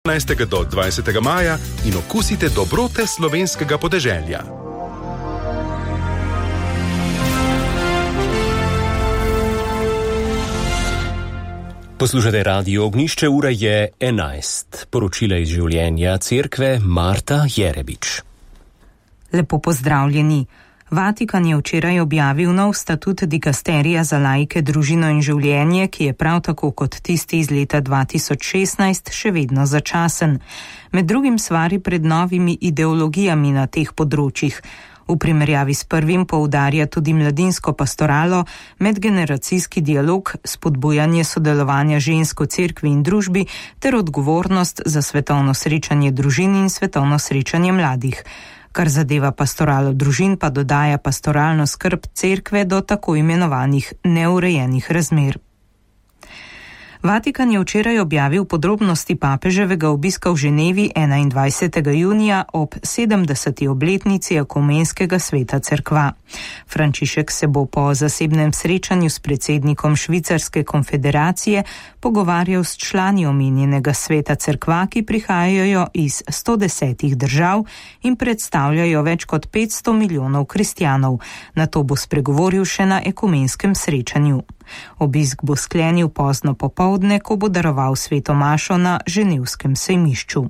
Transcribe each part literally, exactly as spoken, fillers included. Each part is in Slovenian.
petnajstega do dvajsetega maja in okusite dobrote slovenskega podeželja. Poslušate Radio Ognjišče, ura je enajst. Poročila iz življenja cerkve Marta Jerebič. Lepo pozdravljeni. Vatikan je včeraj objavil nov statut dikasterija za laike, družino in življenje, ki je prav tako kot tisti iz leta dva tisoč šestnajst še vedno začasen. Med drugim svari pred novimi ideologijami na teh področjih. V primerjavi s prvim poudarja tudi mladinsko pastoralo, medgeneracijski dialog, spodbujanje sodelovanja žensk v cerkvi in družbi ter odgovornost za svetovno srečanje družin in svetovno srečanje mladih. Kar zadeva pastoralo družin, pa dodaja pastoralno skrb cerkve do tako imenovanih neurejenih razmer. Vatikan je včeraj objavil podrobnosti papeževega obiska v Ženevi enaindvajsetega junija ob sedemdeseti obletnici Ekumenskega sveta cerkva. Frančišek se bo po zasebnem srečanju s predsednikom Švicarske konfederacije pogovarjal s člani omenjenega sveta cerkva, ki prihajajo iz sto desetih držav in predstavljajo več kot petsto milijonov kristjanov. Nato bo spregovoril še na ekumenskem srečanju. Obisk bo sklenil pozno popoldne, ko bo daroval sveto mašo na ženevskem sejmišču.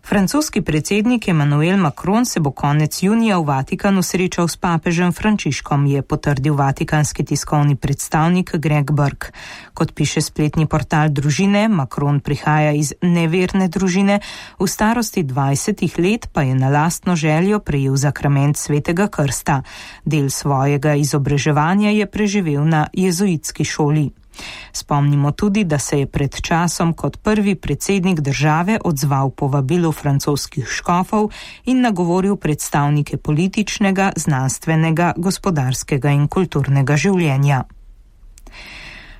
Francoski predsednik Emmanuel Macron se bo konec junija v Vatikanu srečal s papežem Frančiškom, je potrdil vatikanski tiskovni predstavnik Greg Burke. Kot piše spletni portal družine, Macron prihaja iz neverne družine, v starosti dvajsetih let pa je na lastno željo prejel zakrament svetega krsta. Del svojega izobraževanja je preživel na jezuitski šoli. Spomnimo tudi, da se je pred časom kot prvi predsednik države odzval povabilu francoskih škofov in nagovoril predstavnike političnega, znanstvenega, gospodarskega in kulturnega življenja.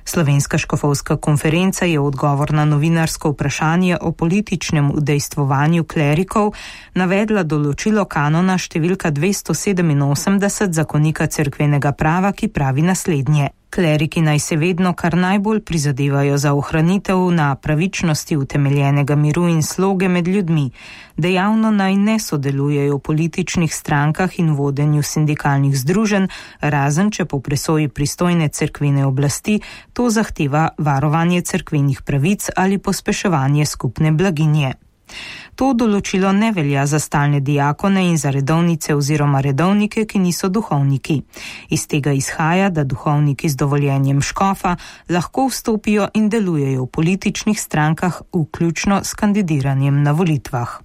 Slovenska škofovska konferenca je odgovor na novinarsko vprašanje o političnem udejstvovanju klerikov navedla določilo kanona številka dvesto sedeminosemdeset zakonika cerkvenega prava, ki pravi naslednje. Kleriki naj se vedno kar najbolj prizadevajo za ohranitev na pravičnosti utemeljenega miru in sloge med ljudmi. Dejavno naj ne sodelujejo v političnih strankah in vodenju sindikalnih združenj, razen če po presoji pristojne cerkvene oblasti to zahteva varovanje cerkvenih pravic ali pospeševanje skupne blaginje. To določilo ne velja za stalne diakone in za redovnice oziroma redovnike, ki niso duhovniki. Iz tega izhaja, da duhovniki z dovoljenjem škofa lahko vstopijo in delujejo v političnih strankah, vključno s kandidiranjem na volitvah.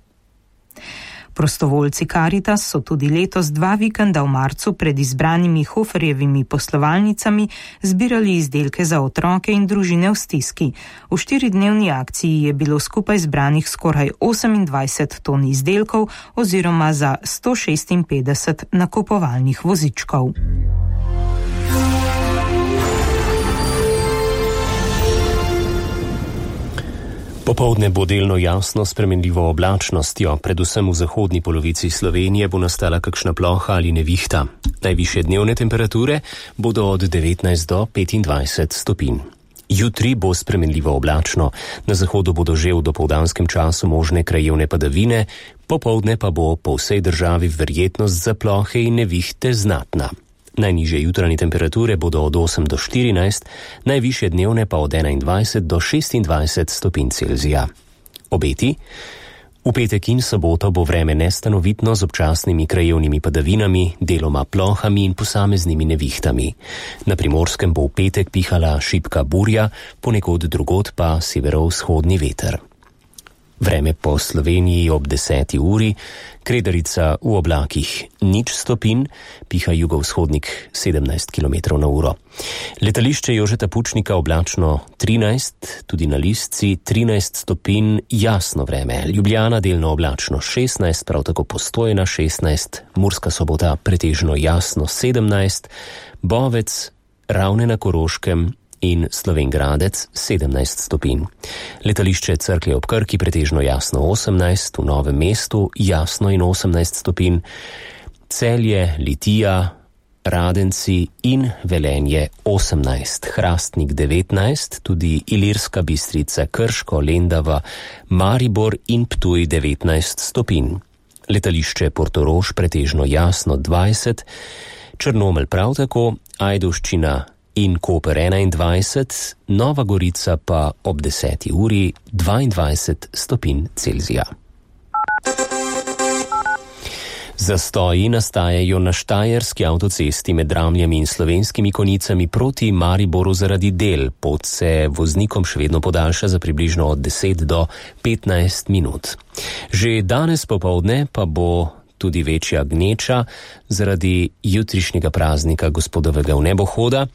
Prostovoljci Karitas so tudi letos dva vikenda v marcu pred izbranimi Hoferjevimi poslovalnicami zbirali izdelke za otroke in družine v stiski. V štiridnevni akciji je bilo skupaj zbranih skoraj osemindvajset ton izdelkov oziroma za sto šestinpetdeset nakupovalnih vozičkov. Popoldne bo delno jasno spremenljivo oblačnostjo, predvsem v zahodni polovici Slovenije bo nastala kakšna ploha ali nevihta. Najvišje dnevne temperature bodo od devetnajst do petindvajset stopinj. Jutri bo spremenljivo oblačno, na zahodu bodo že v dopoldanskem času možne krajevne padavine, popoldne pa bo po vsej državi verjetnost za plohe in nevihte znatna. Najnižje jutranje temperature bodo od osem do štirinajst, najvišje dnevne pa od enaindvajset do šestindvajset stopinj Celzija. Obeti? V petek in soboto bo vreme nestanovitno z občasnimi krajevnimi padavinami, deloma plohami in posameznimi nevihtami. Na Primorskem bo v petek pihala šibka burja, ponekod drugod pa severovzhodni veter. Vreme po Sloveniji ob deseti uri, Kredarica v oblakih nič stopinj, piha jugovzhodnik sedemnajst kilometrov na uro. Letališče Jožeta Pučnika oblačno trinajst, tudi na Listci trinajst stopinj, jasno vreme. Ljubljana delno oblačno šestnajst, prav tako Postojna šestnajst, Murska Sobota pretežno jasno sedemnajst, Bovec, Ravne na Koroškem in Slovenj Gradec sedemnajst stopinj. Letališče Cerklje ob Krki pretežno jasno osemnajst, v Novem mestu jasno in osemnajst stopinj, Celje, Litija, Radenci in Velenje osemnajst, Hrastnik devetnajst, tudi Ilirska Bistrica, Krško, Lendava, Maribor in Ptuj devetnajst stopinj. Letališče Portorož pretežno jasno dvajset, Črnomelj prav tako, Ajdovščina in Koper enaindvajset, Nova Gorica pa ob deseti uri dvaindvajset stopinj Celzija. Zastoji nastajajo na štajerski avtocesti med Dramljami in Slovenskimi Konjicami proti Mariboru zaradi del. Pot se voznikom še vedno podaljša za približno od deset do petnajst minut. Že danes popoldne pa bo tudi večja gneča zaradi jutrišnjega praznika gospodovega vnebohoda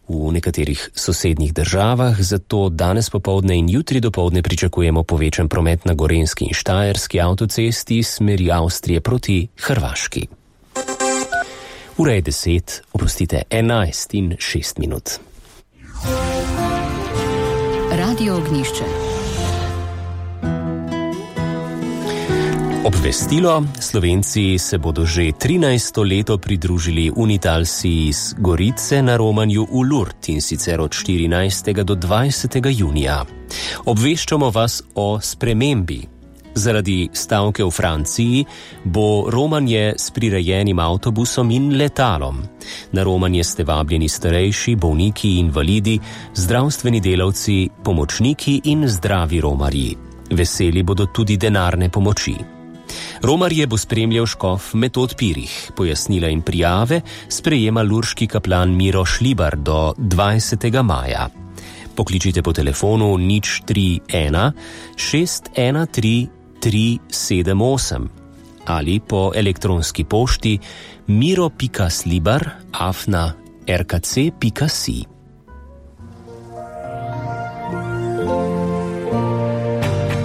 v nekaterih sosednjih državah, zato danes popoldne in jutri dopoldne pričakujemo povečan promet na Gorenjski in Štajerski avtocesti smeri Avstrije proti Hrvaški. Ura je deset, oprostite, enajst in šest minut. Radio Ognjišče. Obvestilo, Slovenci se bodo že trinajsto leto pridružili Unitalsi iz Gorice na romanju v Lourdes, in sicer od štirinajstega do dvajsetega junija. Obveščamo vas o spremembi. Zaradi stavke v Franciji bo romanje s prirejenim avtobusom in letalom. Na romanje ste vabljeni starejši, bolniki, invalidi, zdravstveni delavci, pomočniki in zdravi romarji. Veseli bodo tudi denarne pomoči. Romarje bo spremljal škof Metod Pirih. Pojasnila in prijave sprejema lurški kaplan Miro Šlibar do dvajsetega maja. Pokličite po telefonu nič tri ena šest ena tri tri sedem osem ali po elektronski pošti miro pika slibar afna r k c pika si.